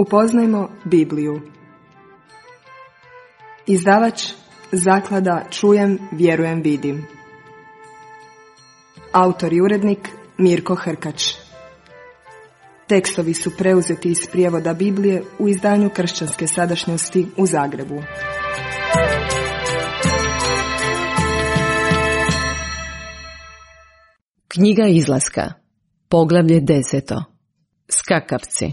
Upoznajmo Bibliju. Izdavač Zaklada Čujem, vjerujem, vidim. Autor i urednik Mirko Hrkač. Tekstovi su preuzeti iz prijevoda Biblije u izdanju Kršćanske sadašnjosti u Zagrebu. Knjiga Izlaska, poglavlje 10. Skakavci.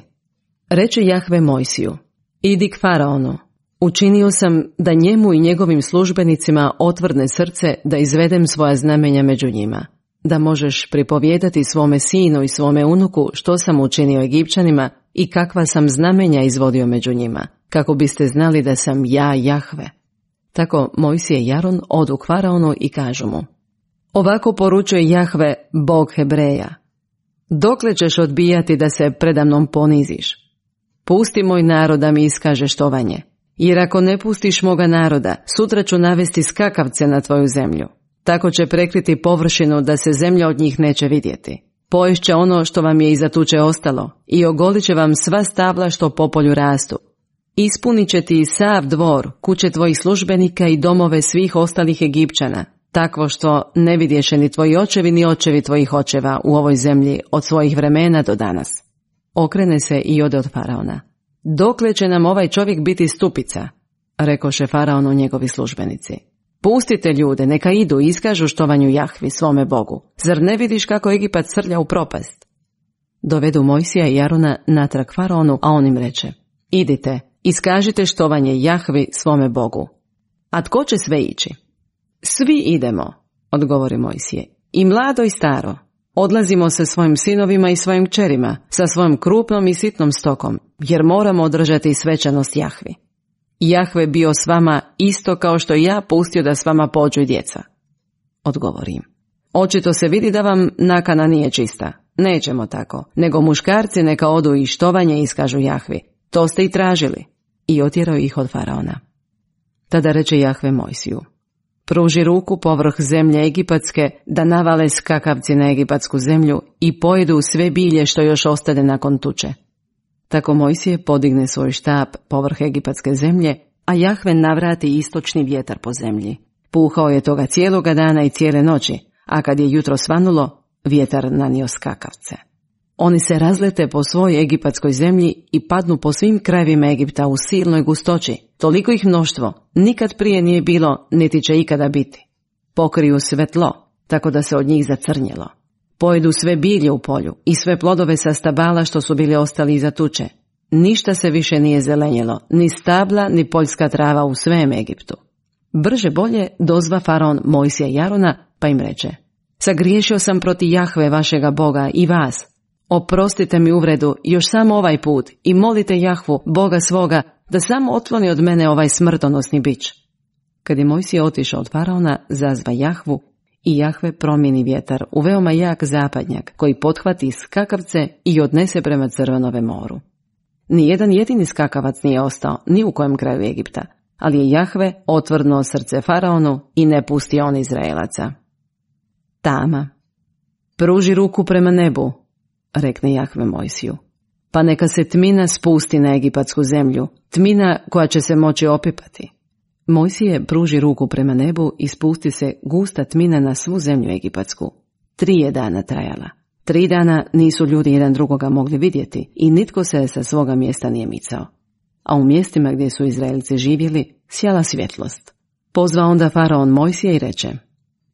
Reče Jahve Mojsiju: idi k Faraonu. Učinio sam da njemu i njegovim službenicima otvrdne srce da izvedem svoja znamenja među njima, da možeš pripovijedati svome sinu i svome unuku što sam učinio Egipćanima i kakva sam znamenja izvodio među njima, kako biste znali da sam ja Jahve. Tako Mojsije i Aron odu k Faraonu i kažu mu: ovako poručuje Jahve, Bog Hebreja: dokle ćeš odbijati da se predamnom poniziš? Pusti moj narod da mi iskaže štovanje, jer ako ne pustiš moga naroda, sutra ću navesti skakavce na tvoju zemlju. Tako će prekriti površinu da se zemlja od njih neće vidjeti. Poješće ono što vam je iza tuče ostalo i ogolit će vam sva stabla što po polju rastu. Ispunit će ti sav dvor, kuće tvojih službenika i domove svih ostalih Egipćana, takvo što ne vidješe ni tvoji očevi ni očevi tvojih očeva u ovoj zemlji od svojih vremena do danas. Okrene se i ode od Faraona. Dokle će nam ovaj čovjek biti stupica? Rekoše Faraonu njegovi službenici. Pustite ljude, neka idu i iskažu štovanju Jahvi, svome Bogu. Zar ne vidiš kako Egipat srlja u propast? Dovedu Mojsija i Arona natrag Faraonu, a on im reče: idite, iskažite štovanje Jahvi, svome Bogu. A tko će sve ići? Svi idemo, odgovori Mojsije, i mlado i staro. Odlazimo sa svojim sinovima i svojim kćerima, sa svojom krupnom i sitnom stokom, jer moramo održati svečanost Jahvi. Jahve bio s vama isto kao što ja pustio da s vama pođu i djeca. Odgovorim: očito se vidi da vam nakana nije čista. Nećemo tako, nego muškarci neka odu i štovanje iskažu Jahvi. To ste i tražili. I otjerao ih od Faraona. Tada reče Jahve Mojsiju: pruži ruku povrh zemlje egipatske da navale skakavci na egipatsku zemlju i pojedu sve bilje što još ostane nakon tuče. Tako Mojsije podigne svoj štap povrh egipatske zemlje, a Jahve navrati istočni vjetar po zemlji. Puhao je toga cijeloga dana i cijele noći, a kad je jutro svanulo, vjetar nanio skakavce. Oni se razlete po svoj egipatskoj zemlji i padnu po svim krajevima Egipta u silnoj gustoći. Toliko ih mnoštvo nikad prije nije bilo, niti će ikada biti. Pokriju sve tlo, tako da se od njih zacrnjelo. Pojedu sve bilje u polju i sve plodove sa stabala što su bili ostali iza tuče. Ništa se više nije zelenjelo, ni stabla, ni poljska trava u svem Egiptu. Brže bolje dozva Faraon Mojsija i Arona, pa im reče: sagriješio sam protiv Jahve vašega Boga i vas. Oprostite mi uvredu još samo ovaj put i molite Jahvu, Boga svoga, da samo otkloni od mene ovaj smrtonosni bič. Kad je Mojsije otišao od Faraona, zazva Jahvu i Jahve promijeni vjetar u veoma jak zapadnjak koji pothvati skakavce i odnese prema Crvenome moru. Nijedan jedini skakavac nije ostao ni u kojem kraju Egipta, ali je Jahve otvrdnuo srce Faraonu i ne pusti on Izraelaca. Tama. Pruži ruku prema nebu, rekne Jahve Mojsiju, pa neka se tmina spusti na egipatsku zemlju, tmina koja će se moći opipati. Mojsije pruži ruku prema nebu i spusti se gusta tmina na svu zemlju egipatsku. 3 je dana trajala. 3 dana nisu ljudi jedan drugoga mogli vidjeti i nitko se sa svoga mjesta nije micao. A u mjestima gdje su Izraelci živjeli sjala svjetlost. Pozva onda Faraon Mojsije i reče: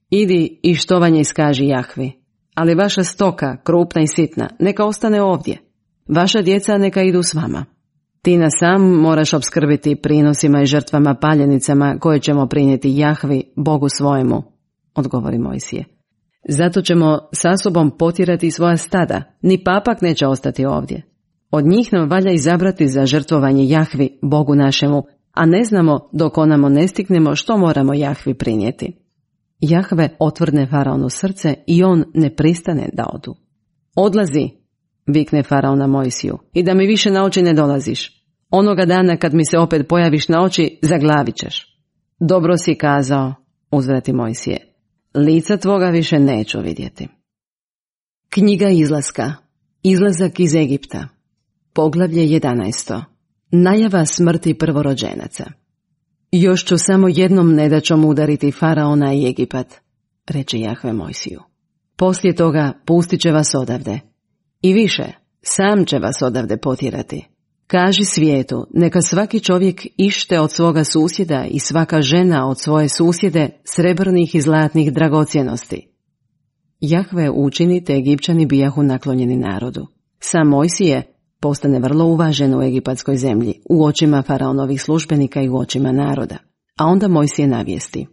idi i štovanje iskaži Jahvi, ali vaša stoka, krupna i sitna, neka ostane ovdje. Vaša djeca neka idu s vama. Ti nas sam moraš opskrbiti prinosima i žrtvama paljenicama koje ćemo prinijeti Jahvi, Bogu svojemu, odgovori Mojsije. Zato ćemo sa sobom potjerati svoja stada, ni papak neće ostati ovdje. Od njih nam valja izabrati za žrtvovanje Jahvi, Bogu našemu, a ne znamo dok onamo ne stignemo što moramo Jahvi prinijeti. Jahve otvrdne Faraonu srce i on ne pristane da odu. Odlazi, vikne Faraon na Mojsiju, i da mi više na oči ne dolaziš. Onoga dana kad mi se opet pojaviš na oči, zaglavit ćeš. Dobro si kazao, uzvrati Mojsije, lica tvoga više neću vidjeti. Knjiga Izlaska. Izlazak iz Egipta. Poglavlje 11. Najava smrti prvorođenaca. Još ću samo jednom nedaćom udariti Faraona i Egipat, reče Jahve Mojsiju. Poslije toga pustit će vas odavde. I više, sam će vas odavde potjerati. Kaži svijetu, neka svaki čovjek ište od svoga susjeda i svaka žena od svoje susjede srebrnih i zlatnih dragocjenosti. Jahve učini te Egipćani bijahu naklonjeni narodu. Sam Mojsije postane vrlo uvažen u egipatskoj zemlji, u očima faraonovih službenika i u očima naroda. A onda Mojsije navijesti.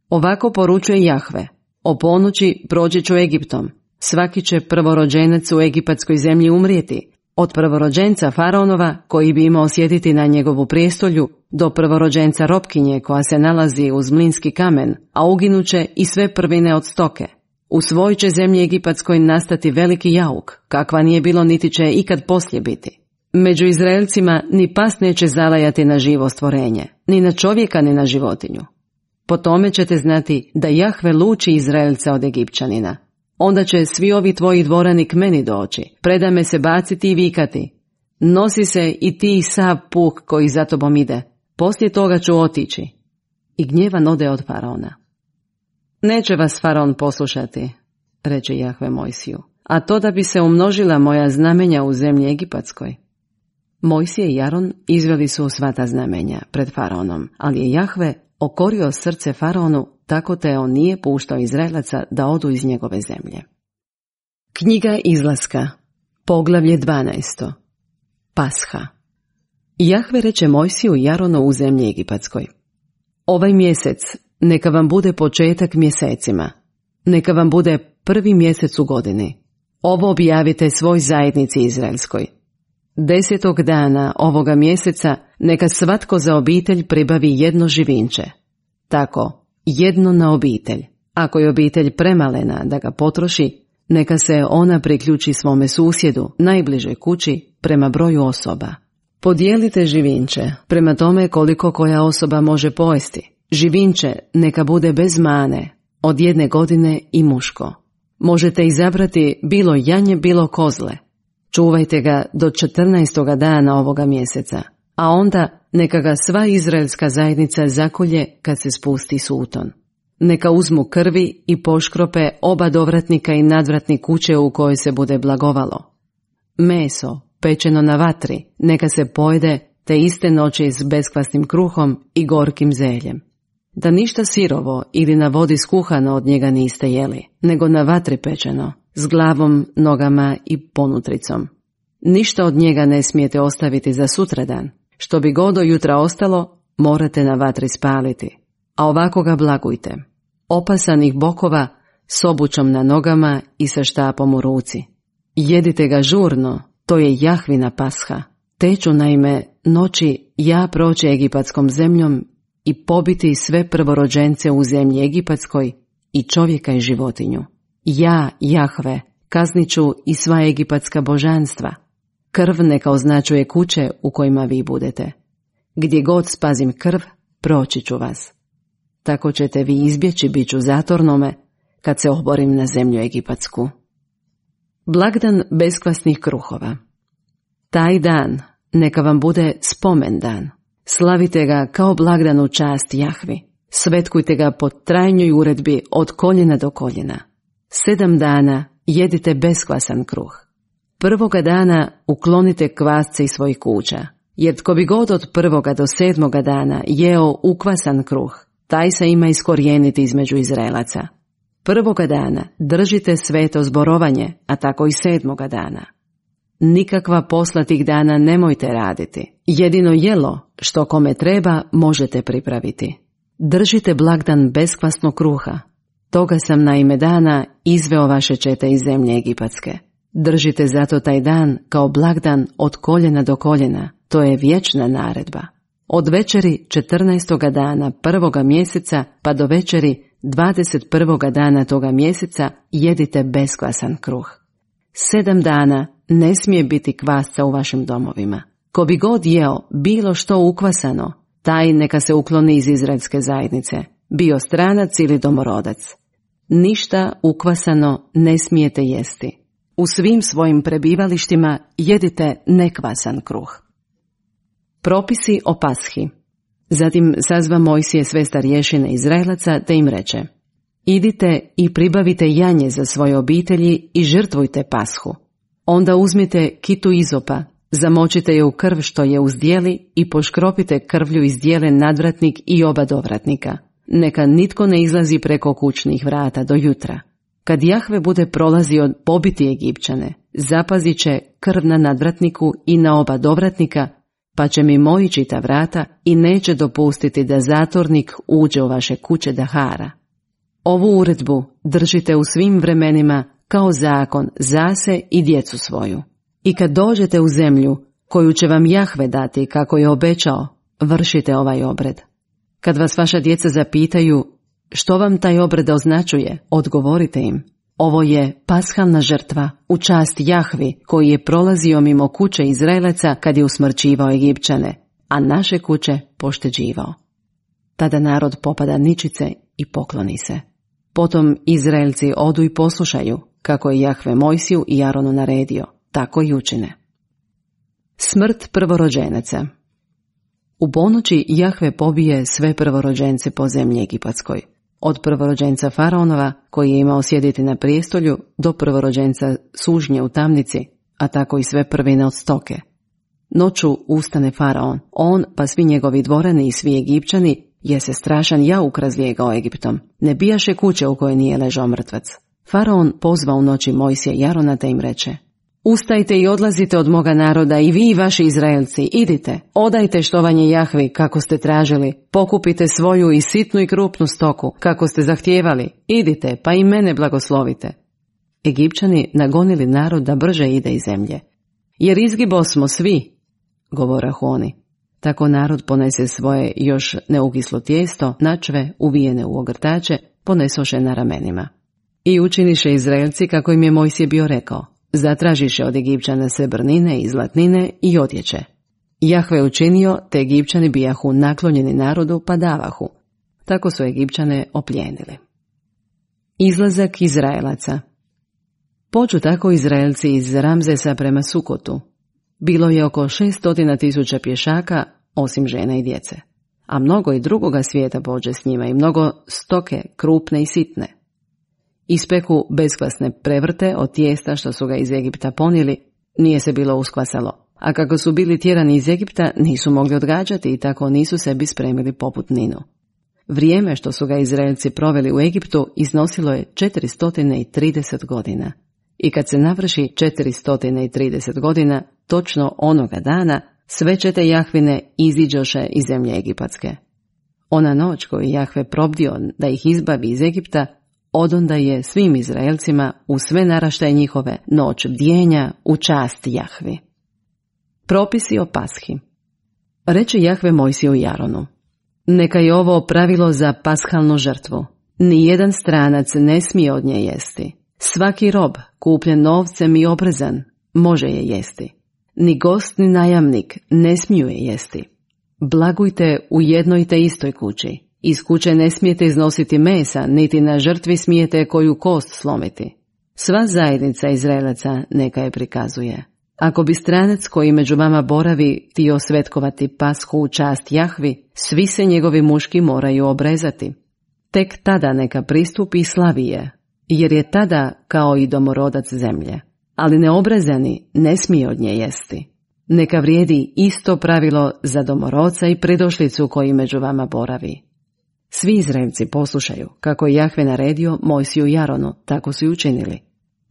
Ovako poručuje Jahve, o ponoći proći ću Egiptom, svaki će prvorođenac u egipatskoj zemlji umrijeti, od prvorođenca faraonova koji bi imao sjediti na njegovu prijestolju, do prvorođenca robkinje koja se nalazi uz mlinski kamen, a uginuće i sve prvine od stoke. U svoj će zemlji egipatskoj nastati veliki jauk, kakva nije bilo niti će ikad poslije biti. Među Izraelcima ni pas neće zalajati na živo stvorenje, ni na čovjeka ni na životinju. Po tome ćete znati da Jahve luči Izraelca od Egipćanina. Onda će svi ovi tvoji dvorani k meni doći, preda me se baciti i vikati. Nosi se i ti sav puk koji za tobom ide, poslije toga ću otići. I gnjevan ode od faraona. Neće vas faraon poslušati, reče Jahve Mojsiju, a to da bi se umnožila moja znamenja u zemlji egipatskoj. Mojsije i Aron izveli su sva ta znamenja pred faraonom, ali je Jahve okorio srce faraonu, tako te on nije puštao Izraelaca da odu iz njegove zemlje. Knjiga Izlaska, poglavlje 12. Pasha. Jahve reče Mojsiju i Aronu u zemlji egipatskoj. Ovaj mjesec neka vam bude početak mjesecima, neka vam bude prvi mjesec u godini. Ovo objavite svoj zajednici izraelskoj. 10. dana ovoga mjeseca neka svatko za obitelj pribavi jedno živinče. Tako, jedno na obitelj. Ako je obitelj premalena da ga potroši, neka se ona priključi svome susjedu, najbližoj kući, prema broju osoba. Podijelite živinče prema tome koliko koja osoba može pojesti. Živinče neka bude bez mane, od 1 godine i muško. Možete izabrati bilo janje, bilo kozle. Čuvajte ga do 14. dana ovoga mjeseca, a onda neka ga sva izraelska zajednica zakolje kad se spusti suton. Neka uzmu krvi i poškrope oba dovratnika i nadvratnik kuće u kojoj se bude blagovalo. Meso, pečeno na vatri, neka se pojede te iste noći s beskvasnim kruhom i gorkim zeljem. Da ništa sirovo ili na vodi skuhano od njega niste jeli, nego na vatri pečeno, s glavom, nogama i ponutricom. Ništa od njega ne smijete ostaviti za sutradan. Što bi god do jutra ostalo, morate na vatri spaliti. A ovako ga blagujte. Opasanih bokova, s obućom na nogama i sa štapom u ruci. Jedite ga žurno, to je Jahvina pasha. Te ću naime noći ja proći egipatskom zemljom i pobiti sve prvorođence u zemlji egipatskoj i čovjeka i životinju. Ja, Jahve, kaznit ću i sva egipatska božanstva. Krv neka označuje kuće u kojima vi budete. Gdje god spazim krv, proći ću vas. Tako ćete vi izbjeći biću zatornome kad se oborim na zemlju egipatsku. Blagdan beskvasnih kruhova. Taj dan neka vam bude spomen dan. Slavite ga kao blagdan u čast Jahvi. Svetkujte ga po trajnjoj uredbi od koljena do koljena. 7 dana jedite beskvasan kruh. 1. dana uklonite kvasce iz svojih kuća, jer tko bi god od 1. do 7. dana jeo ukvasan kruh, taj se ima iskorijeniti između Izraelaca. 1. dana držite sveto zborovanje, a tako i 7. dana. Nikakva posla tih dana nemojte raditi. Jedino jelo, što kome treba, možete pripraviti. Držite blagdan beskvasnog kruha. Toga sam na ime dana izveo vaše čete iz zemlje egipatske. Držite zato taj dan kao blagdan od koljena do koljena. To je vječna naredba. Od večeri 14. dana 1. mjeseca pa do večeri 21. dana toga mjeseca jedite beskvasan kruh. 7 dana ne smije biti kvasca u vašim domovima. Ko bi god jeo bilo što ukvasano, taj neka se ukloni iz izraelske zajednice, bio stranac ili domorodac. Ništa ukvasano ne smijete jesti. U svim svojim prebivalištima jedite nekvasan kruh. Propisi o Pashi. Zatim sazva Mojsije sve starješine Izraelaca te im reče: idite i pribavite janje za svoje obitelji i žrtvujte Pashu. Onda uzmite kitu izopa, zamočite je u krv što je uz dijeli i poškropite krvlju iz dijele nadvratnik i oba dovratnika. Neka nitko ne izlazi preko kućnih vrata do jutra. Kad Jahve bude prolazio pobiti Egipćane, zapazit će krv na nadvratniku i na oba dovratnika, pa će mimoići ta vrata i neće dopustiti da zatornik uđe u vaše kuće da hara. Ovu uredbu držite u svim vremenima kao zakon za se i djecu svoju. I kad dođete u zemlju koju će vam Jahve dati kako je obećao, vršite ovaj obred. Kad vas vaša djeca zapitaju što vam taj obred označuje, odgovorite im: ovo je pashalna žrtva u čast Jahvi koji je prolazio mimo kuće Izraelaca kad je usmrćivao Egipćane, a naše kuće pošteđivao. Tada narod popada ničice i pokloni se. Potom Izraelci odu i poslušaju kako je Jahve Mojsiju i Aronu naredio, tako i učine. Smrt prvorođenaca. U ponoći Jahve pobije sve prvorođence po zemlji egipatskoj, od prvorođenca Faraonova koji je imao sjediti na prijestolju do prvorođenca sužnje u tamnici, a tako i sve prvine od stoke. Noću ustane Faraon, on pa svi njegovi dvorani i svi Egipćani, jer se strašan jauk razlijegao Egiptom. Ne bijaše kuće u kojoj nije ležao mrtvac. Faraon pozva u noći Mojsija i Arona te im reče: ustajte i odlazite od moga naroda i vi i vaši Izraelci, idite, odajte štovanje Jahvi kako ste tražili, pokupite svoju i sitnu i krupnu stoku kako ste zahtijevali, idite pa i mene blagoslovite. Egipćani nagonili narod da brže ide iz zemlje. Jer izgibo smo svi, govorahu oni. Tako narod ponese svoje još neukislo tijesto, načve, uvijene u ogrtače, ponesoše na ramenima. I učiniše Izraelci kako im je Mojsije bio rekao. Zatražiše od Egipćana srebrnine i zlatnine i odjeće. Jahve učinio, te Egipćani bijahu naklonjeni narodu pa davahu. Tako su Egipćane oplijenili. Izlazak Izraelaca. Pođu tako Izraelci iz Ramzesa prema Sukotu. Bilo je oko 600.000 pješaka, osim žena i djece. A mnogo i drugoga svijeta pođe s njima i mnogo stoke, krupne i sitne. Ispeku beskvasne prevrte od tijesta što su ga iz Egipta ponijeli, nije se bilo uskvasalo. A kako su bili tjerani iz Egipta, nisu mogli odgađati i tako nisu sebi spremili poputninu. Vrijeme što su ga Izraelci proveli u Egiptu iznosilo je 430 godina. I kad se navrši 430 godina, točno onoga dana, sve čete Jahvine iziđoše iz zemlje egipatske. Ona noć koju Jahve probdio da ih izbavi iz Egipta, odonda je svim Izraelcima u sve naraštaje njihove noć bdjenja u čast Jahvi. Propisi o Pashi. Reče Jahve Mojsiju i Aronu: neka je ovo pravilo za pashalnu žrtvu. Nijedan stranac ne smije od nje jesti. Svaki rob, kupljen novcem i obrezan, može je jesti. Ni gost ni najamnik ne smiju je jesti. Blagujte u jednoj te istoj kući. Iz kuće ne smijete iznositi mesa, niti na žrtvi smijete koju kost slomiti. Sva zajednica Izraelaca neka je prikazuje. Ako bi stranac koji među vama boravi htio svetkovati Pashu u čast Jahvi, svi se njegovi muški moraju obrezati. Tek tada neka pristupi i slavi je, jer je tada kao i domorodac zemlje. Ali neobrezani ne smije od nje jesti. Neka vrijedi isto pravilo za domorodca i pridošlicu koji među vama boravi. Svi Izraelci poslušaju kako je Jahve naredio Mojsiju i Aronu, tako su i učinili.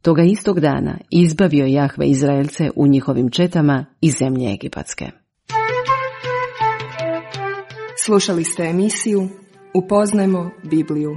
Toga istog dana izbavio Jahve Izraelce u njihovim četama iz zemlje egipatske. Slušali ste emisiju Upoznajmo Bibliju.